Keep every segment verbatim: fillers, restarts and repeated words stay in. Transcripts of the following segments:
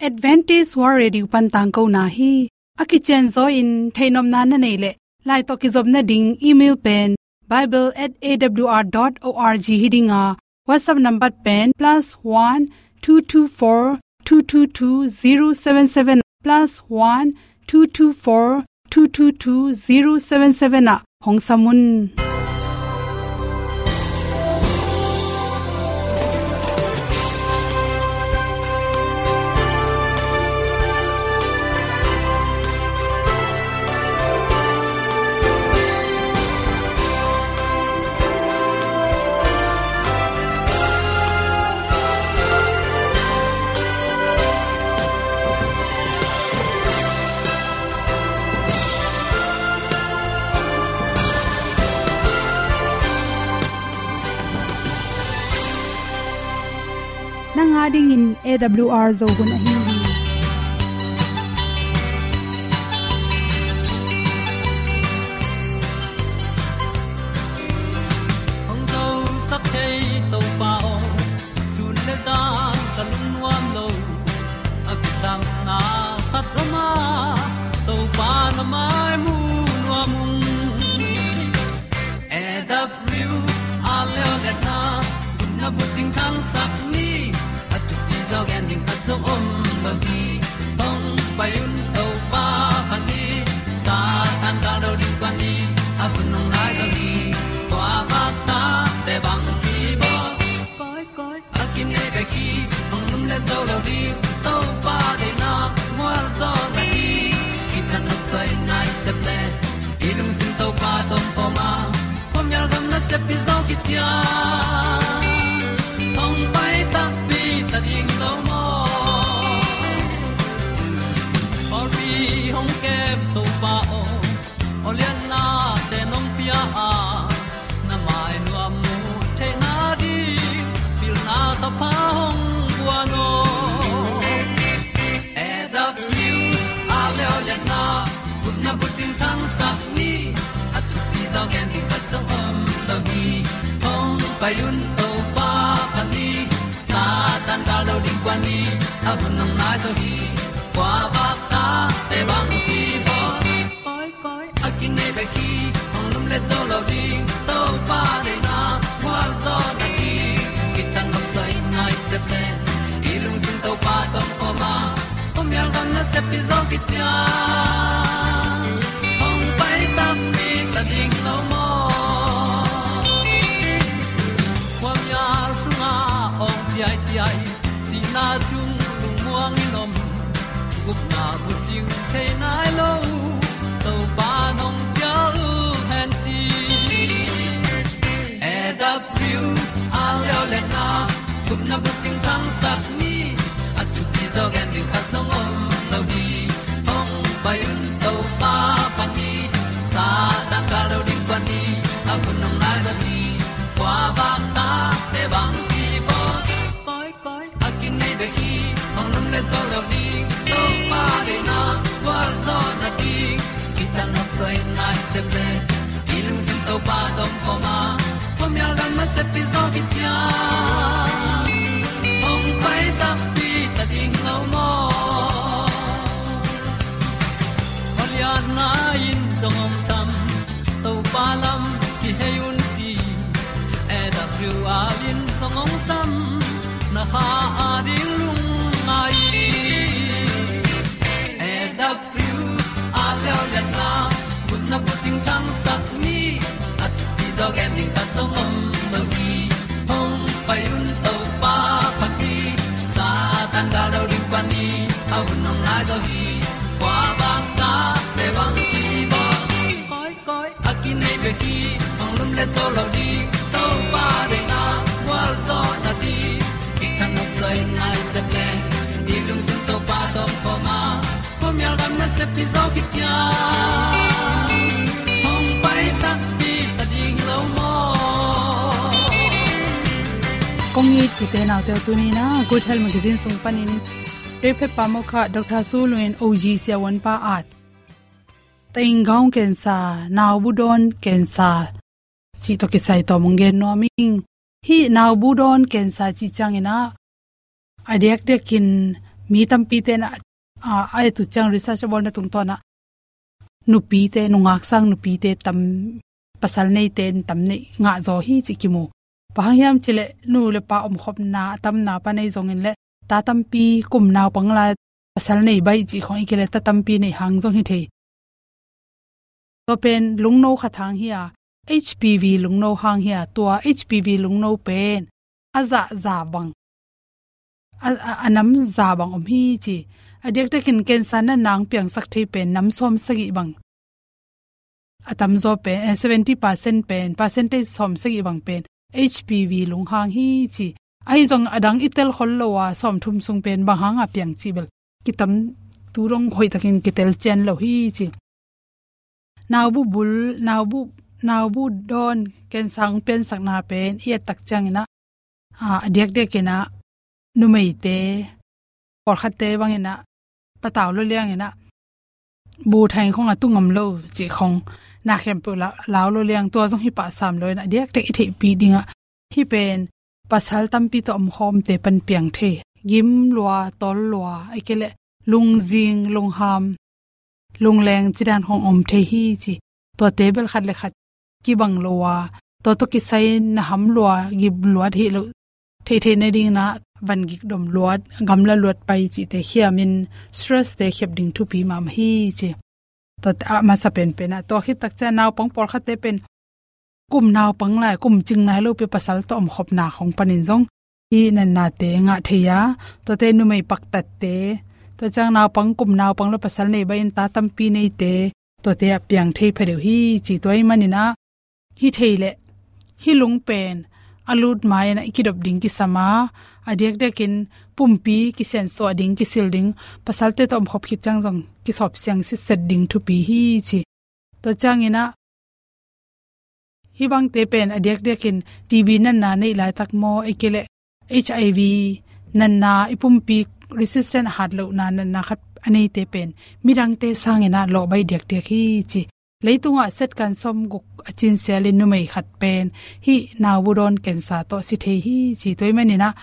Adventist World Radio pan tangkona hi. A kicianzaw in theihnopna na neih leh, lai tawh kizopna ding email pen bible at A W R dot org hi ding a, WhatsApp number pen plus one two two four two two two zero seven seven, plus one two two four two two two zero seven seven ah hong sam un. Nang a dingin A W R Zo hun ahi hi. Hong zosak thei Topa aw, sun le zan ka lungnuam lo. A kisangna khat om a, Topa na mai mu nuam ung. A W R leo le na, na bucing thangsak ni, a thupi zaw gen ding khat zong om lo hi. Hong pai un Topa pha ni, Satan gal do ding kua ni, a hun hong nai zaw hi. Kua vak ta te bang ki bawl. Koi, koi, a kinei bek hi, hong lum le zo lo ding, Topa deihna mual zaw na hi. Kitang nok soi nai sep le, i lungsim Topa tawh om a, khuamial gam nasep pi zaw kician. Hong pai takpi ta ding lo maw? Pawlpi hong kem Topa aw, aw lianna te nong pia a, na mai nuam mu theihna ding, pilna thapha hong guan aw. A W R leo le na, gupna bucing thangsak ni, a thupi zaw gen ding khat zong om lo hi. Hong pai un Topa pha ni, Satan gal do ding kua ni, a hun hong nai zaw hi. Kua vak ta te bang ki bawl. Koi, koi, a kinei bek hi, hong lum le zo lo ding, Topa deihna mual zaw na hi. Kitang nok soi nai sep le, i lungsim Topa tawh om a, khuamial gam nasep pi zaw kician. Hong pai takpi ta ding lo maw? Khuamial sungah awng ciaiciai, sihna sung lungmuang in om, gupna bucing thei nai lo, Topa nong cial hen ci. A W R leo le na, gupna bucing thangsak ni, a thupi zaw gen ding khat zong om lo hi. Hong pai un Topa pha ni, Satan gal do ding kua ni, a hun hong nai zaw hi. Kua vak ta te bang ki bawl. Koi, koi, a kinei bek hi, hong lum le zo lo ding, Topa deihna gual zaw na ding. Kitang nok soi nai sep le, i lungsim Topa tawh om a, khuamial gam nasep pi zaw kician. Hong pai takpi ta ding lo maw? Aw lianna in zong hong sam, Topa lam kihei un ci. A W R in zong hong sam, na kha a ding lungngai. A W R leo le na, gupna bucing thangsak ni, a thupi zaw gen ding khat zong om lo hi. Hong pai un Topa pha ni, Satan gal do ding kua ni, a hun hong nai zaw hi. Kua vak ta te bang ki bawl. Koi, koi, a kinei bek hi, hong lum le zo lo ding, Topa deihna gual zaw na ding. Kitang nok soi nai sep le, i lungsim Topa tawh om a, khuamial gam nasep pi zaw kician. Hong pai takpi ta ding lo maw? Kong it kite naute, tuni in a Good Health Magazine sung panin Rev. Phepa Mokha, Doctor Su Lun, O G siavuanpa at, taing gaung cancer, naubu dawn cancer cih tawh kisai tawm hong gen nuam ing. Hih naubu dawn cancer cih ciangin a, a diakdiakin mi tampi ten a, a, a et uh ciang research a bawlna tungtawn ah nupite, nungak sang nupite tam, pasal neite in tam neih ngah zaw hi cih kimu. Bang hang hiam cih leh nu le pa omkhopna a tamna pan ahi zongin leh ta tampi kum naupang lai pasal nei baih cih khong i kile ta tampi neih hang zong hi thei. Tua pen lungno khat hang hi a, H P V lungno hang hi a, tua H P V lungno pen a zah za bang, a, a, a nam za bang om hi ci. A diakdiakin cancer natna hong piangsak thei pen nam sawm sagih bang, a tamzaw pen, eh, seventy percent pen, percentage sawm sagih bang pen H P V lung hang hi ci. Ahi zong a dang i tel khol lo a, sawm thum sung pen bang hang a piang cih bel kitam, tu dong hoih takin kitel cian lo hi ci. Naubu bul, naubu, naubu dawn cancer hong piansakna pen i et tak ciangin ah, a, a diakdiakin ah numeite, pawlkhatte bangin ah patau lo liangin ah bu thai khong a tu ngam lo cih khong na khempeuh la, lau lo liang, tua zong hi pah sam lo in ah a diakdiak i theihpih ding ah hih pen pasal tampi tawh omkhawmte pan piang thei. Gim lua, tawl lua, a kile lungzing, lungham, lungleng cidan khong om thei hi ci. Tuate bel khat le khat kibang lo a, tua tawh kisai na ham lua, gim luat hi lo, theihtheih na ding na, van gik dom luat, gamla luat pai cihte khiamin stress te khiap ding thupi mahmah hi ci. Tua a masa penpen ah, tua khit tak ciang naupang pawlkhatte pen kum naupang lai, kum cing nai lo pi pasal tawh omkhopna khong panin zong hih natnate ngah thei a, tuate numei paktatte, tua ciang naupang, kum naupang lo pasal nei baih in ta tampi neite, tuate a piang thei phadeuh hi ci. Tua ahih manin ah hi thei leh hih lung pen a lut ma-in ah i kidop ding kisam a, a diakdiakin pumpi kisiansuah ding, kisil ding, pasalte tawh omkhop khit ciang zong kisawp siang sitset ding thupi hi ci. Tua ciangin ah hih bangte pen a diakdiakin T B natna neih laitak maw, a kile H I V natna, i pumpi resistant hat lohna natna khat a neite pen midangte sangin ah lawh baih diakdiak hi ci. Leitungah setkan sawmguk a cin sialin numei khat pen hih naubu dawn cancer tawh si thei hi ci. Tua ahih manin ah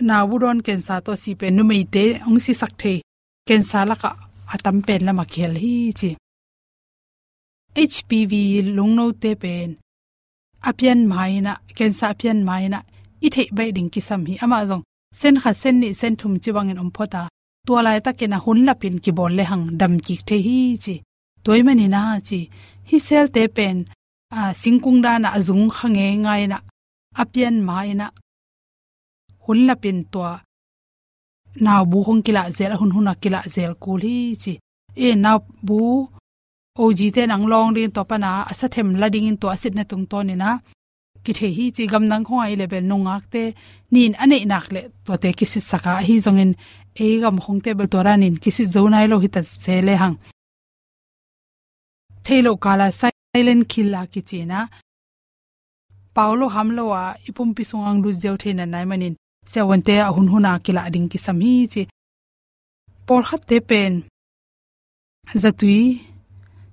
naubu dawn cancer tawh si pen numeite hong sisak thei cancer lakah a tam pen lamah kihel hi ci. H P V lungnote pen a pian ma-in ah, cancer a pian ma-in ah i theih baih ding kisam hi. Amah zong sen khat, sen nih, sen thum ci bangin om phot a, tua laitakin ah hun lapin kibawl lehang dam kik thei hi ci. Tua ahih manin ah ci, hih cell-te pen, a, singkung dan ah a zung kha ngeingai-in ah, a pian ma-in ah hun lapin tua naubu khong kilah zel, a hunhun a kilah zel kul hi ci. I naubu O G te nang lawng dingin tua pan a, a sa them la dingin tua a sitna tungtawnin ah kithei hi ci. Gamdang khong ah i leh bel nungakte nin a neih nak leh tuate kisitsak a, ahi zongin ei gam khongte bel tua danin kisit zo nai lo hi ta se lehang, thei lo kal a silent killer kici-in ah, pau lo ham lo a i pumpi sungah hong lut ziau thei natna ahih manin siavuante a hunhun a kilah ding kisam hi ci. Pawlkhatte pen zatui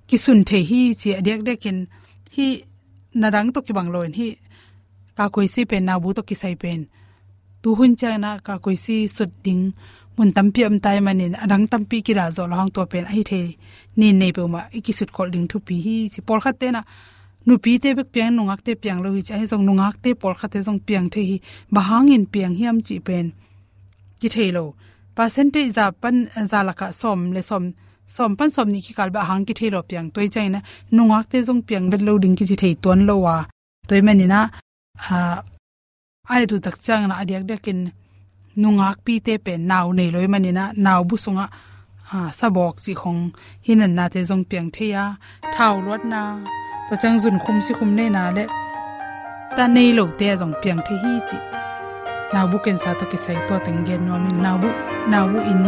kisun thei hi ci. A diakdiakin hih na dang tawh kibang lo-in hih kakoisi pen, naubu tawh kisai pen tuhun ciangin ah kakoisi sut ding mun tampi om ta ahih manin a dang tampi kidah zawh lo hang, tua pen ahi thei nin nei peuhmah i kisut kholh ding thupi hi ci. Pawlkhatte'n ah nupite bek piang, nungakte piang lo hi ci. Ahi zong nungakte pawlkhatte zong piang thei hi. Bang hangin piang hiam cih pen kithei lo. Percentage za pan, za lakah sawm le sawm, sawm pan sawm nih kikal beh a hang kithei lo piang. Tua ahih ciangin ah nungakte zong piang vet lo ding kici thei tuan lo a. Tua ahih manin ah, a, a et uh tak ciangin ah a diakdiakin nungakpite pen nau nei lo ahih manin ah naubu sungah, a, sabawk cih khong, hih natnate zong piang thei a, thau luatna, tua ciang zunkhum sikhum neihna le ta nei lote ah zong piang thei hi cih naubu cancer tawh kisai tua teng gen nuam ing. Naubu, naubu inn,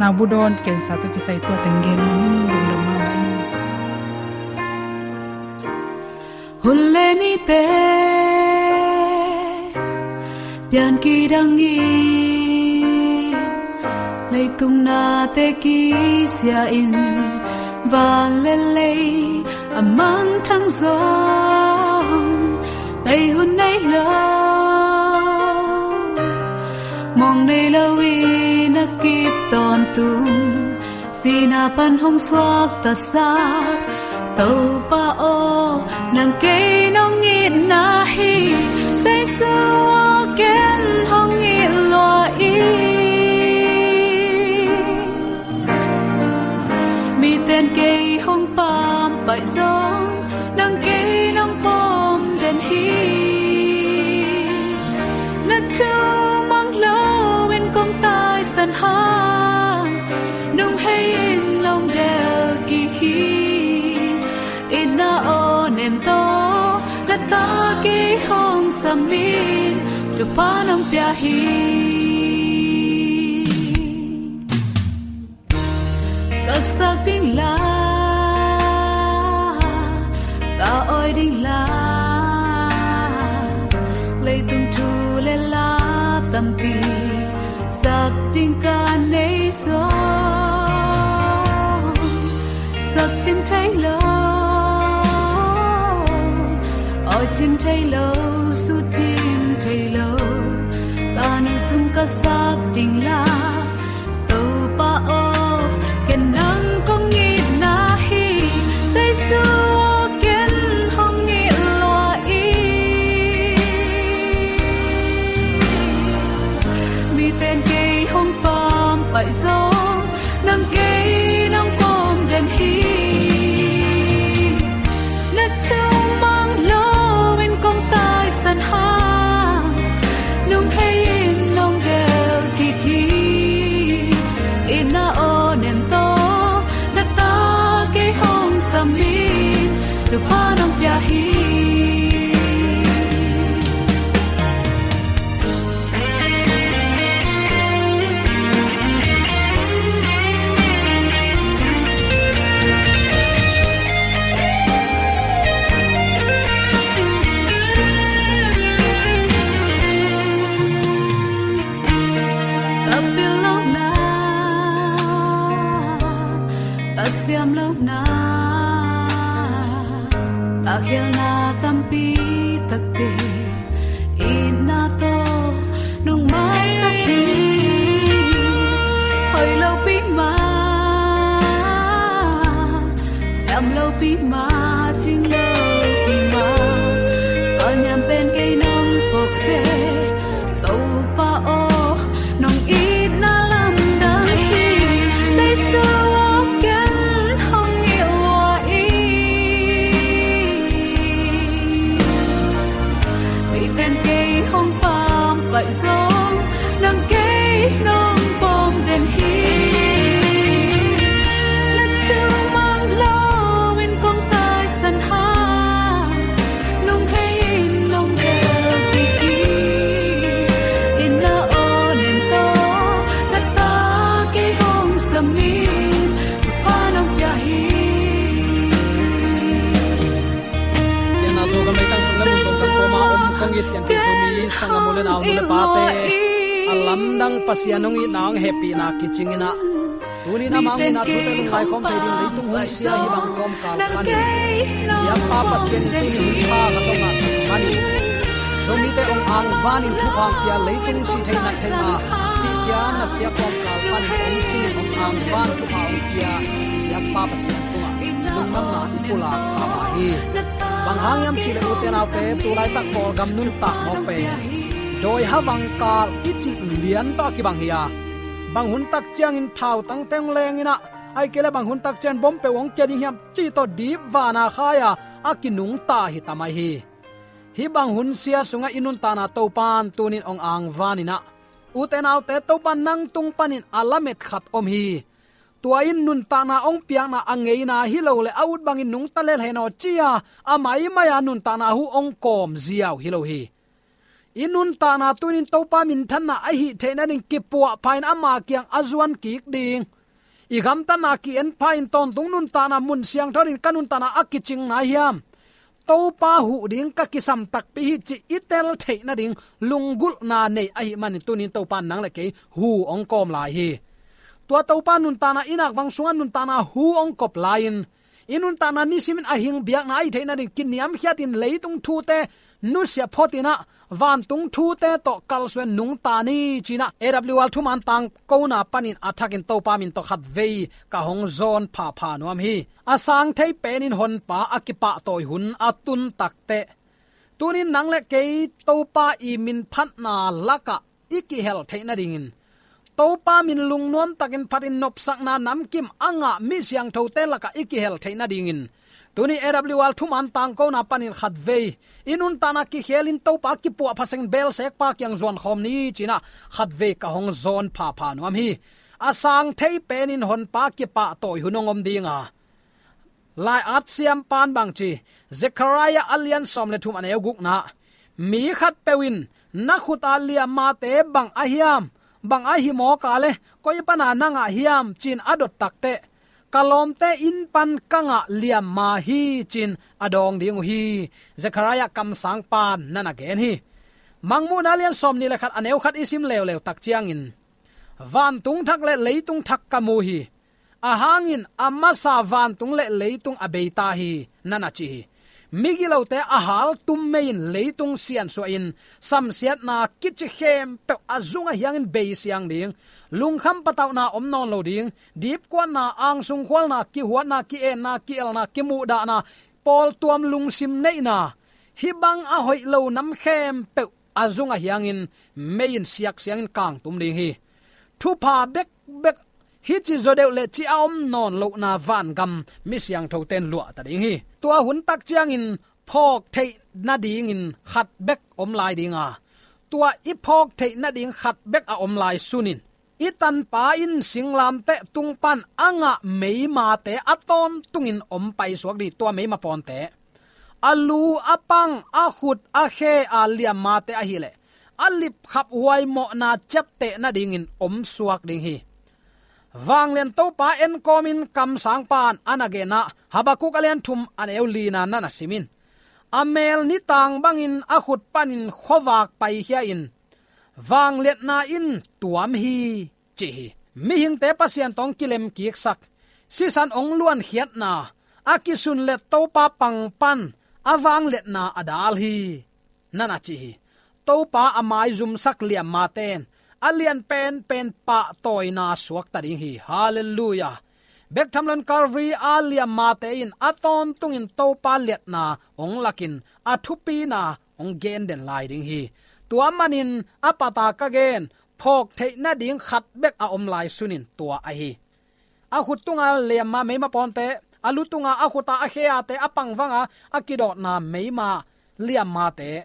naubu dawn cancer tawh kisai tua teng gen nuam ing. Lungdam mahmah ing. Hun le nite pian kidang in, leitung nate kisia in, van le lei a mangthang zong, bei hun nei lo, mawng nei lo in kip tawntung, sihna pan hong suaktasak Topa aw, nang kei nong itna hi. Jesu aw, ken hong it lua ing. Miten kei hong pampaih zong, nang kei nong pom den hi. Na thu mang loin kong taisan hang, nong hei in nong del kik hi. Itna aw nem tawh, na ta kei hong sam in, Topa nong pia hi. Ka sak ding la, ka awi ding la, leitung thu le la tampi sak ding ka nei zong, sak cin thei lo, awi cin thei lo, su cin thei lo, ka nung sung ka sak ding la. Topa aw, ken nang kong itna hi. Jesu aw, ken hong it lua ing. Miten kei hong pampaih zong, nang kei nong pom den hi. Na thu mang loin kong taisan hang, nong hei in nong del kik hi. Itna aw nem tawh, na ta kei hong sam in, Topa nong pia hi. Ka pil lohna, ka siam lohna, ka khialna tampi takte, itna tawh nong maisak hi. Hoih lopi mah, siam lopi mah, cing lopi mah, ka niam pen kei nong phawk seh. Topa aw, nong itna lamdang hi. Jesu aw, ken hong it lua ing. Miten kei hong pampaih zong, nang kei nong pom den hi. Na thu mang loin kong taisan hang, nong hei in nong del kik hi. Itna aw nem tawh, na ta kei hong sam in, Topa nong pia hi. Pianna Zogam leitang sung na mun tawh kan kawma om kong it pian pi Zomi sanggam u le nau, nu le pate, a lamdang Pasian hong itna hong hehpihna kicing in ah, tuni in a mang in a thute lungngai khawm thei ding leitung hun sia hih bang kawmkal panin, biakpa Pasian in tuni hun pha ka tawh ngahsak panin, Zomite hong angvan in thupha hong pia, leitung sih theih nat theihna, sih sia nat sia kawmkal panin hong cingin hong angvan thupha hong pia biakpa Pasian tungah lungdamna i pulak a hi. Bang hang hiam cihleh ute naute, tu laitak Kawlgam nuntak mawk pen dawi ha vangkal i cih lian tawh a kibang hi a, bang hun tak ciangin thautangte hong leng in ah, ahih kei leh bang hun tak ciang bawm peuh hong kia ding hiam cih tawh dip vana khai a, a kinungta hi ta mai hi. Hih bang hun sia sungah i nuntakna Topa'n tuni in hong angvan in ah, ute naute, Topa nang tung panin a lamet khat om hi. Tua in nuntakna hong piakna a ngeina hi lo leh a ut bangin nungta lel hen aw ci-a, a maimai a nuntakna hu hong kawm ziau hi lo hi. I nuntakna tuni in Topa minthanna ahih theih nading kipuahpha in ama kiang a zuan kik ding, i gamtatna ki-en pha in tawntung nuntakna mun siangtho dingin ka nuntakna a kicing nai hiam, Topa huh ding ka kisam takpi hi cih i tel theih nading lunggulhna nei ahih manin tuni in Topa in nang le kei hu hong kawm lai hi. Tua Topa nuntakna i nakvang sungah nuntakna hu hong kop lai-in, i nuntakna nisimin a hing biakna ahih theih nading kiniamkhiatin leitung thute nusia photin ah vantung thute tawh kalsuan nungta ni ci-in ah A W R thuman tangkona panin a thakin Topa min tawh khatvei ka hong zawn phapha nuam hi. A sang thei penin Honpa a kipahtawi hun a tun takteh, tunin nang le kei Topa i min phatna lakah i kihel theih nadingin, Topa min lungnuam takin phatin nopsakna namkim a ngah mi siangthote lakah i kihel theih nadingin, tuni A W R thuman tangkona panin khatvei i nuntakna kikhelin Topa kipuahpha seng belsekpa kiang zuan khawm ni ci-in ah khatvei ka hong zawn phapha nuam hi. A sang thei penin Honpa kipahtawi hun hong om ding a, lai-at siampan bang ci, Zekhariah a lian sawm le thum a neu gukna, mi khatpeuh in na khut a liammate bang a hiam, bang a hi mawk a le, koi pana na ngah hiam ci-in a dot takteh, ka lawmte inn pan ka ngah liamma hi ci-in a dawng ding uh hi. Zekhariah kamsangpan na na gen hi. Mangmuhna lian sawm nih le khat a neu khat i sim leuleu tak ciangin, vantung thak le leitung thak ka mu hi. A hangin a masa vantung le leitung a beita hi, na na ci hi. Migilote a haltum mei in leitung siansuahin samsiatna kici khempeuh a zung a hiangin beisiang ding. Lungkham patauhna om nawn lo ding. Dipkuatna, angsung khualna, kihuatna, ki-enna, ki-elna, kimuhdahna, pawltuam lungsim neihna, hih bang a hoih lo nam khempeuh a zung a hiangin mei in siaksiangin kangtum ding hi. Thupha bekbek, hih ci zaw deuh le ci a om nawn lohna vangam mi siangthote in luahta ding hi. Tua hun tak ciangin phawk theih nadingin khat bek om lai ding a, tua i phawk theih nading khat bek a om lai sunin, i tanpa in singlamteh tung pan a ngah meimate a tawntungin om paisuak ding, tua meima pawnte. A lu, a pang, a khut, a khe a liammate ahih leh a lipkhap huai mawhna ciapteh nadingin om suak ding hi. Vanglian Topa enkawmin kamsangpan a na gen ah, Habakkuk a lian thum a neu lina na na sim in, a mel nitang bangin a khut panin khuavak paikhia in, vangliatna in tuam hi, ci hi. Mihingte Pasian tawh hong kilemkiksak, sisan hong luankhiatna, a kisunlet Topa pang pan a vangliatna a dal hi, na na ci hi. Topa a maizumsak liammate in a lian penpen pahtawina suakta ding hi. Halleluiah. Bek tham loin Calvary a liammate in a tawntungin Topa liatna hong lakin a thupina hong gen den lai ding hi. Tua manin a pat a ka gen phawk theih nading khat bek a om lai sunin tua ahi. A khut tunga liamma meima pawnte, a lu tunga, a khuta, a kheate, a pangvanga a kidawtna meima liammate,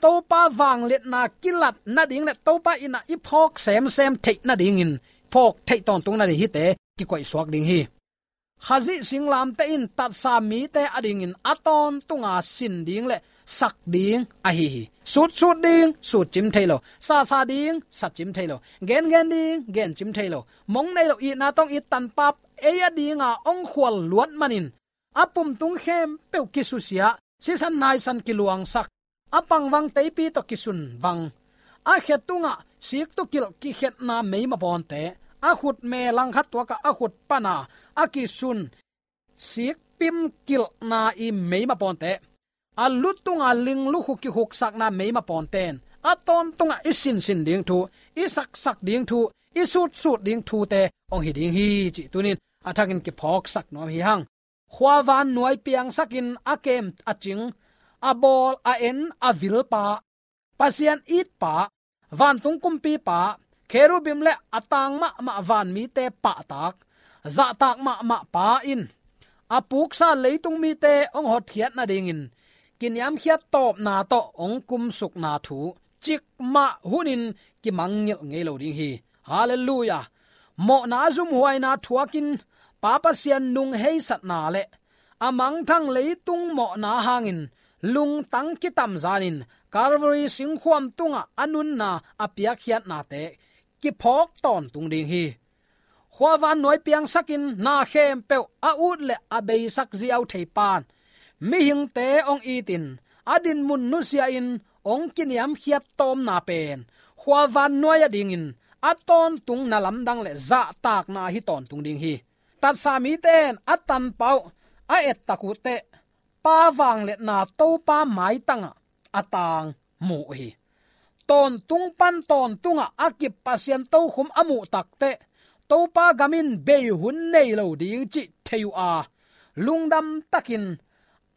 Topa vangliatna kilat nading le Topa in ah i phawk semsem theih nadingin phawk theih tawntung nading hihte kikoihsuak ding hi. Khazih singlamteh in tatsa mite adingin a tawntunga sin ding le sak ding ahi hi. Sutsut ding, sutcim thei lo. Sasa ding, satcim thei lo. Gengen ding, gencim thei lo. Mong nei lo, itna tawh it tanpa ei adinga hong khual luat manin a pumtung khempeuh kisusia, sisan naisan kiluangsak, a pangvang teipi tawh kisunvang, a khe tungah siktukilh kikhetna meima pawnte, a khutme langkhat tuakah a khut pana a kisun sikpim kilhna i meima pawnte, a lu tunga linglukhu kikhuksakna meima pawnte in a tawntungah i sinsin ding thu, i saksak ding thu, i sutsut ding thute hong hi ding hi cih tunin a thakin kiphawksak nuam hi hang. Khuavan nuai piangsakin a kem a cing, a bawl a en a vilpa, Pasian itpa, vantung kumpipa, kherubim le a tang mahmah vanmite pahtak, zahtak mahmah pa in a puksa leitung mite hong hotkhiat nadingin kiniamkhiat tawpna tawh hong kumsukna thu cikmah hunin kimangngilh ngei lo ding hi. Halleluiah. Mawhna zumhuaina thuakin Pa Pasian nung heisatna le a mangthang leitung mawhna hangin lungtang kitamzanin Calvary singkhuam tungah a nunna a piakkhiatnate kiphawk tawntung ding hi. Khuavan nuai piangsakin na khempeuh a ut le a beisak ziau theipan mihingte hong itin a dinmun nusia-in hong kiniamkhiat tawmna pen khuavan nuai adingin a tawntung na lamdang le zahtakna ahi tawntung ding hi. Tatsa mite in a tanpa uh a ettak uh teh Pa vangliatna Topa maitangah a tang mu uh hi. Tawntung pan tawntungah a kip Pasian tokhum a muh takteh Topa gam in bei hun nei lo ding cih thei uh a, lungdam takin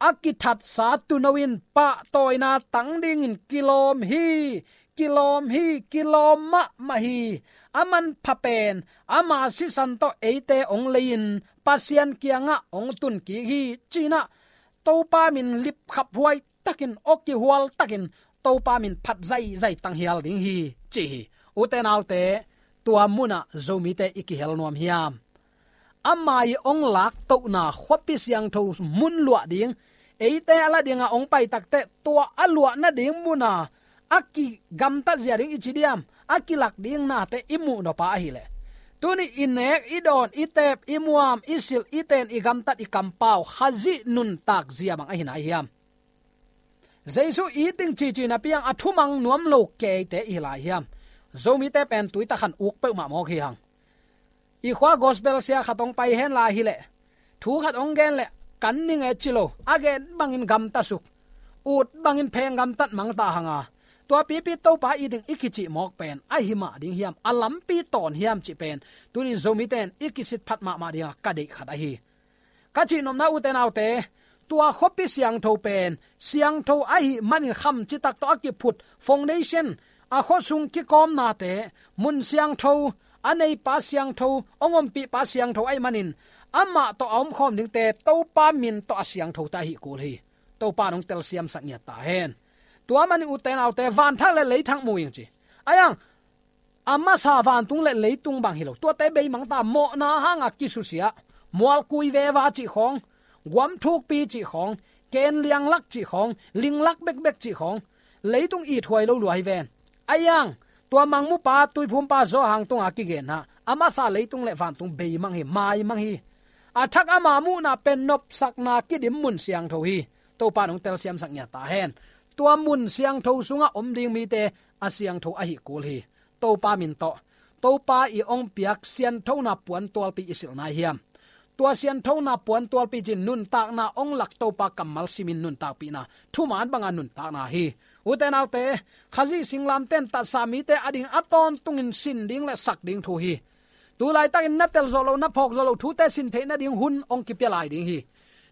a kithatsa tuuno in pahtawina tang dingin kilawm hi, kilawm hi, kilawm mahmah hi. A manpha pen ama sisan tawh eite hong lei-in Pasian kiangah hong tun kik hi, ci-in ah Topa min lipkhaphuai takin, aw kihual takin Topa min phat zaizai tang hial ding hi, ci hi. Ute naute, tua munah Zomite i kihel nuam hiam? Ama i hong laktohna khuapi siangtho mun luah ding, eite a la dinga hong pai takteh tua a luah nading muna a kigamtat zia ding i ci diam, a kilak ding nate i muh nop a ahileh, tuni i nek, i dawn, i teep, i muam, i silh, i ten, i gamtat, i kampau Khazih nuntak zia bang ahi nai hiam? Jesu it ding cici napi-in a thumang nuam lo keite i hi lai hiam? Zomite pen tuitak khan uk peuhmah mawk hi hang. I khua gospel sia khat hong pai hen lai hileh, thu khat hong gen leh kan ning e ci lo, a gen bangin gamta suk, ut bangin pheng gamtat mangta hang a, tua pipi Topa it ding i kicih mawk pen ahi mah ding hiam? A lampi tawn hiam cih pen tuni Zomite in i kisit phat mahmah dinga ka deih khat ahi. Ka cihnopna, ute naute, tua khuapi siangtho pen siangtho ahih manin kham citak tawh a kiphut foundation, a khuasung kikawmnate, mun siangtho, a neipa siangtho, hong ompihpa siangtho ahih manin amah tawh a omkhawm dingte Topa min tawh a siangthote ahi kul hi. Topa in hong telsiamsak ngiat ta hen. Tua manin, ute naute, vanthak le leithak mu ing ci. Ahi hang a masa vantung le leitung bang hi lo, tuate beimang ta, mawhna hanga kisusia, mualkui veva cih khawng, guam thukpi cih khawng, ken lianglak cih khawng, linglak bekbek cih khawng, leitung ithuai lo lua hi ven. Ahi hang tua mangmupa, tuiphumpa Johan tunga kigenna, a masa leitung le vantung beimang hi, maimang hi. A thak ama muhna pen nopsakna kidim mun siangtho hi. Topa in hong telsiamsak ngiat ta hen. Tua mun siangtho sungah om ding mite a siangtho ahi kul hi. Topa min tawh, Topa i hong piak sianthona puantualpi i silh nai hiam? Tua sianthona puantualpi cin nuntakna hong lak Topa kammal simin nuntakpihna, thuman banga nuntakna hi. Ute naute, Khazih singlamteh in tatsa mite ading a tawntungin sin ding le sak ding thu hi. Tulaitakin na tel zawh loh, na phawk zawh loh thute sin theih nading hun hong kipia lai ding hi.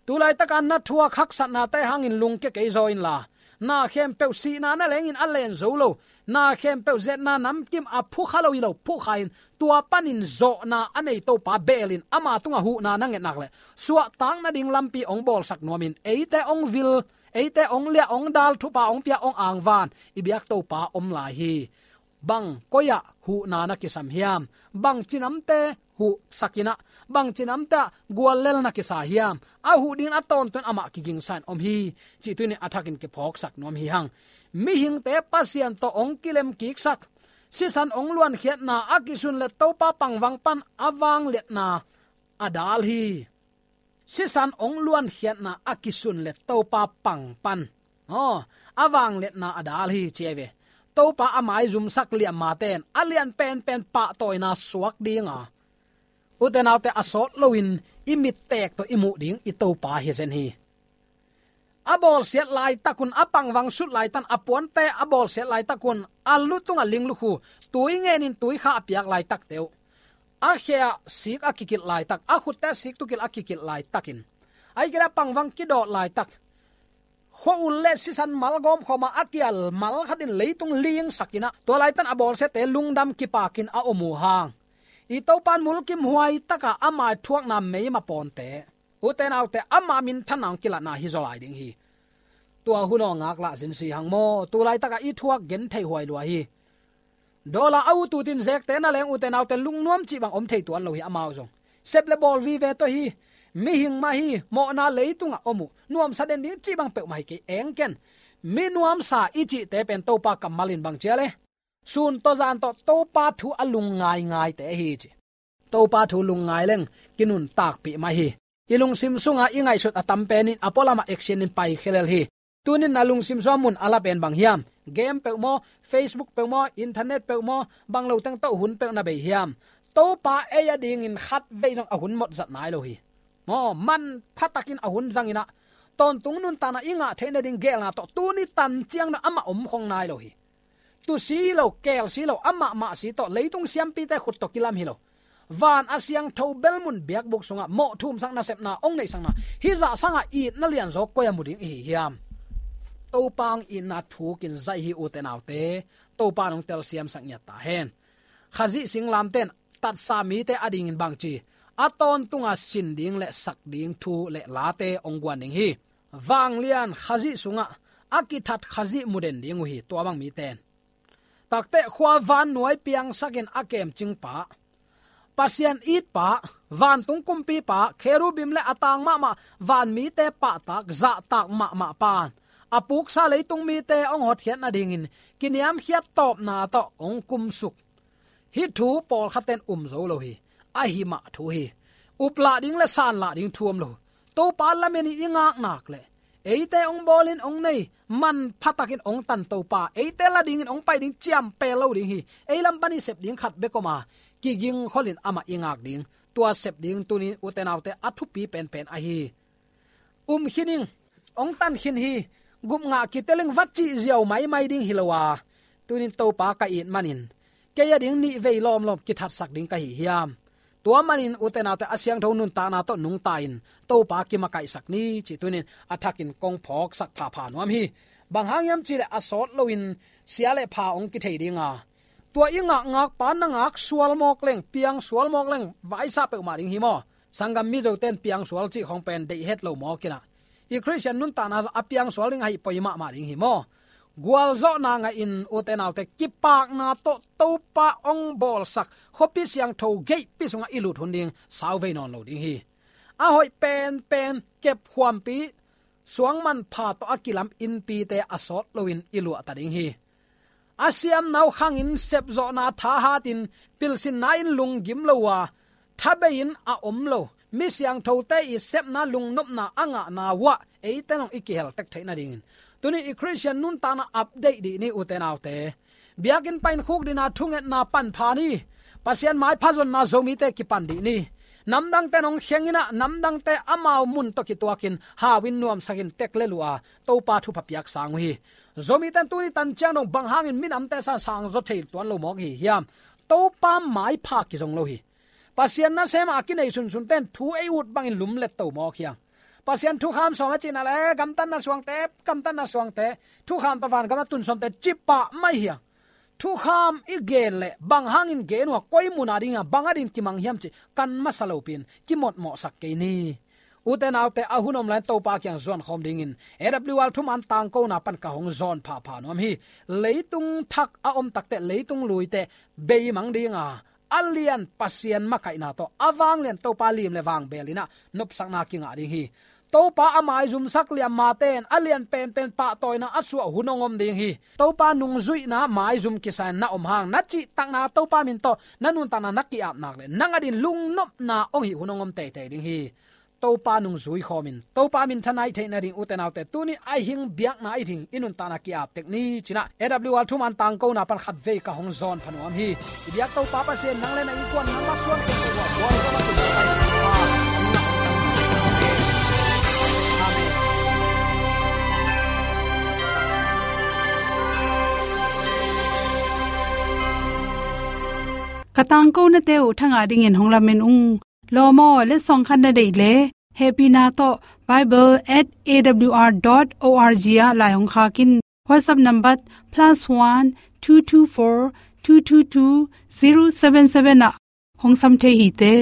Tulaitaka na thuak haksatnate hangin lungkia kei zaw inla, na khempeuh, sihna na lengin a len zo lo, na khempeuh, zetna namkim a phukha lo hi lo, phukha in, tua panin zawhna a nei Topa beelin ama tungah huhna na ngetnak le suahtak nading lampi hong bawlsak nuamin, eite hong vil, eite hong liah, hong dal, thupha hong pia, hong angvan i biak Topa om lai hi. Bang koi-ah huhna na kisam hiam? Bang cinamte huhsak in ah, bang cinamte ah guallel na kisa hiam? A huh dingin a tawntung amah kigingsa in om hi, cih tuni-in a thakin kiphawksak nuam hi hang. Mihingte Pasian tawh hong kilemkiksak, sisan hong luankhiatna a kisunlet Topa pangvang pan a vangliatna a dal hi. Sisan hong luankhiatna a kisunlet Topa pang pan, aw, a vangliatna a dal hi, ci ahi ve. Topa a maizumsak liammate in a lian penpen pahtawina suak dinga, ute naute, a sawt loin i mittek tawh i muh ding i Topa hi zen hi. A bawlsiat laitakun, a pangvang sut laitan, a puante a bawlsiat laitakun, a lu tungah linglukhu, tui ngenin tuikha a piak laitakte uh, a khe-ah sik a kikilh laitak, a khutte sik tukilh a kikilh laitakin, ahih kei leh a pangvang kidawt laitak, khua-ul le sisan mal gawmkhawma a kial mal khatin leitung lingsak in ah, tua laitan a bawlsiate lungdam kipakin a om uh hang, i Topa in mulkimhuai taka ama thuakna meima pawnte, ute naute, ama minthanna hong kilatna hi zaw lai ding hi. Tua hun aw ngaklah zinsi hang maw, tulaitaka i thuak gentheih huai lua hi. Dollar a ut utin zekte na leng, ute naute, lungnuam cih bang om thei tuan lo hi, amau zong sep le bawl vive tawh hi. Mihing mah hi, mawhna leitungah om uh, nuamsa den ding cih bang peuhmah hi kei, eng ken. Mi nuamsa i cihte pen Topa kammal in bang ci a le, sun tawh zan tawh Topa thu a lungngaingaite hi ci. Topa thu lungngai leng kinuntakpih mah hi. I lungsim sunga i ngaihsut a tam pen in a pualamah action in paikhia lel hi. Tunin na lungsim sungah mun a la pen bang hiam? Game peuh maw, Facebook peuh maw, internet peuh maw, bang lo teng tawh hun peuh na bei hiam? Topa ei adingin khatvei zong a hun mawk zat nai lo hi. Maw, manpha takin a hun zang in ah, tawntung nuntakna i ngah theih nading geelna tawh tuni tan ciang dong amah om khong nai lo hi. Tusi hi lo, keelsi hi lo, amah mahsi tawh, leitung siampite khut tawh kilam hi lo. Van a siangtho bel mun biakbuk sungah mawh thumsak nasepna hong neihsakna, hih zah sangah itna lianzaw koi-ah mu ding i hi hiam? Topa hong itna thukin zaih hi, ute naute. Topa in hong telsiamsak ngiat ta hen. Khazih singlamteh in tatsa mite adingin bangci, a tawntunga sin ding le sak ding thu le late hong guan ding hi. Vanglian Khazih sungah a kithat Khazih mu den ding uh hi, tua bang mite in. Takteh khua vannuai piangsakin a kemcingpa, Pasian itpa, vantung kumpipa, kherubim le a tang mahmah vanmite pahtak, zahtak mahmah pa in a puksa leitung mite hong hotkhiat nadingin kiniamkhiat tawpna tawh hong kumsuk. Hih thu pawlkhatte in um zo lo hi. Ahi mah thu hi. Uplah ding le sanlah ding thu om lo. Topa lamen in i ngak nak leh, eite hong bawlin hong nei, manpha takin hong tan Topa, eite la dingin hong pai ding ciampel lo ding hi. Ei lam pan i sep ding khat bek om a, kigingkholin amah i ngak ding. Tua sep ding tuni, ute naute, a thupi penpen ahi hi. Um khin ing, hong tan khin hi, gup ngah kitel ing, va cih ziau maimai ding hi lo a, tuni-in Topa ka it manin kei ading nih vei lawmlawm kithatsak ding ka hi hiam? Tua manin, ute naute, a siangtho nuntakna tawh nungta-in Topa kimakaihsak ni, cih tuni-in a thakin kong phawksak phapha nuam hi. Bang hang hiam cih leh, a sawt loin sia le pha hong kithei ding a, tua i ngakngakpa na ngak sual mawk leng, piang sual mawk leng, vaisa peuhmah ding hi maw? Sanggam Mizote in piang sual cih khong pen deih het lo mawk in ah, i Khristian nuntakna a piang sual ding ahih poi mahmah ding hi maw? Gualzawhna ngahin, ute naute, kipakna tawh Topa hong bawlsak khuapi siangtho geihpi sungah i lut hun ding sauvei nawn lo ding hi. A hoih penpen, kepkhuampi suangmanpha tawh a kilam innpite a sawt loin i luahta ding hi. A siamna uh khangin sepzawhna thahatin, pilsinna in lunggim lo a, thabei-in a om lo mi siangthote i sepna, lungnopna a ngahna uh ah eite in hong i kihel tek theih nadingin, tuni i Khristian nuntakna update dih ni, ute naute. Biakinn panin khukdina thungetna pan pha ni. Pasian maipha zonna Zomite kipan dih ni. Namdangte in hong kheng in ah, namdangte amau mun tawh kituakin hau-in nuamsakin tek lel uh a, Topa thupha piak sang uh hi. Zomite in tuni tan ciang dong bang hangin minamte sang sangzaw thei tuan lo mawk hi hiam? Topa maipha kizong lo hi. Pasian nasem a kinei sunsunte in thu ei ut bangin lumlet to mawk hi hang. Pasian thukham sawm a cihna le, gamtatna suangte, gamtatna suangte, thukham tawh vangam a tun sawmte cih pah mai hi hang. Thukham i gen leh bang hangin gen uh a, koi mun a ding a, bang a dingin kimang hiam cih kan masa lopi-in kimotmawhsak kei ni. Ute naute, a hun om lai-in Topa kiang zuan khawm dingin A W R thuman tangkona pan ka hong zawn phapha nuam hi. Leitung thak a om takteh, leitung luite beimang ding a, a lian Pasian makaihna tawh, a vanglian Topa lim le vangbel in ah nopsakna kingah ding hi. Topa a maizumsak liam mate in a lian penpen pahtawina a suah hun hong om ding hi. Topa nungzuihna maizum kisa-in na om hang, na cihtakna Topa min tawh na nuntakna na ki-ap nak leh, nang a dingin lungnopna hong hih hun hong om teitei ding hi. Topa nungzui khawmin, Topa minthanna i theih nading, ute naute, tuni a hing biakna i ding i nuntakna ki-ap tek ni, ci-in ah A W R thuman tangkona pan khatvei ka hong zawn pha nuam hi. I biak Topa Pasian, nang le na innkuan, nang masuan kei Topa, buai Topa, Topa, Topa. Amen. Ka tangkonate uh thangah dingin hong lamen ung. Lawm aw, letsong khat na deih leh, hehpihna tawh bible at A W R dot O R G ah lai hong khak in. WhatsApp number plus one two two four two two two zero seven seven ah hong sam thei hi te.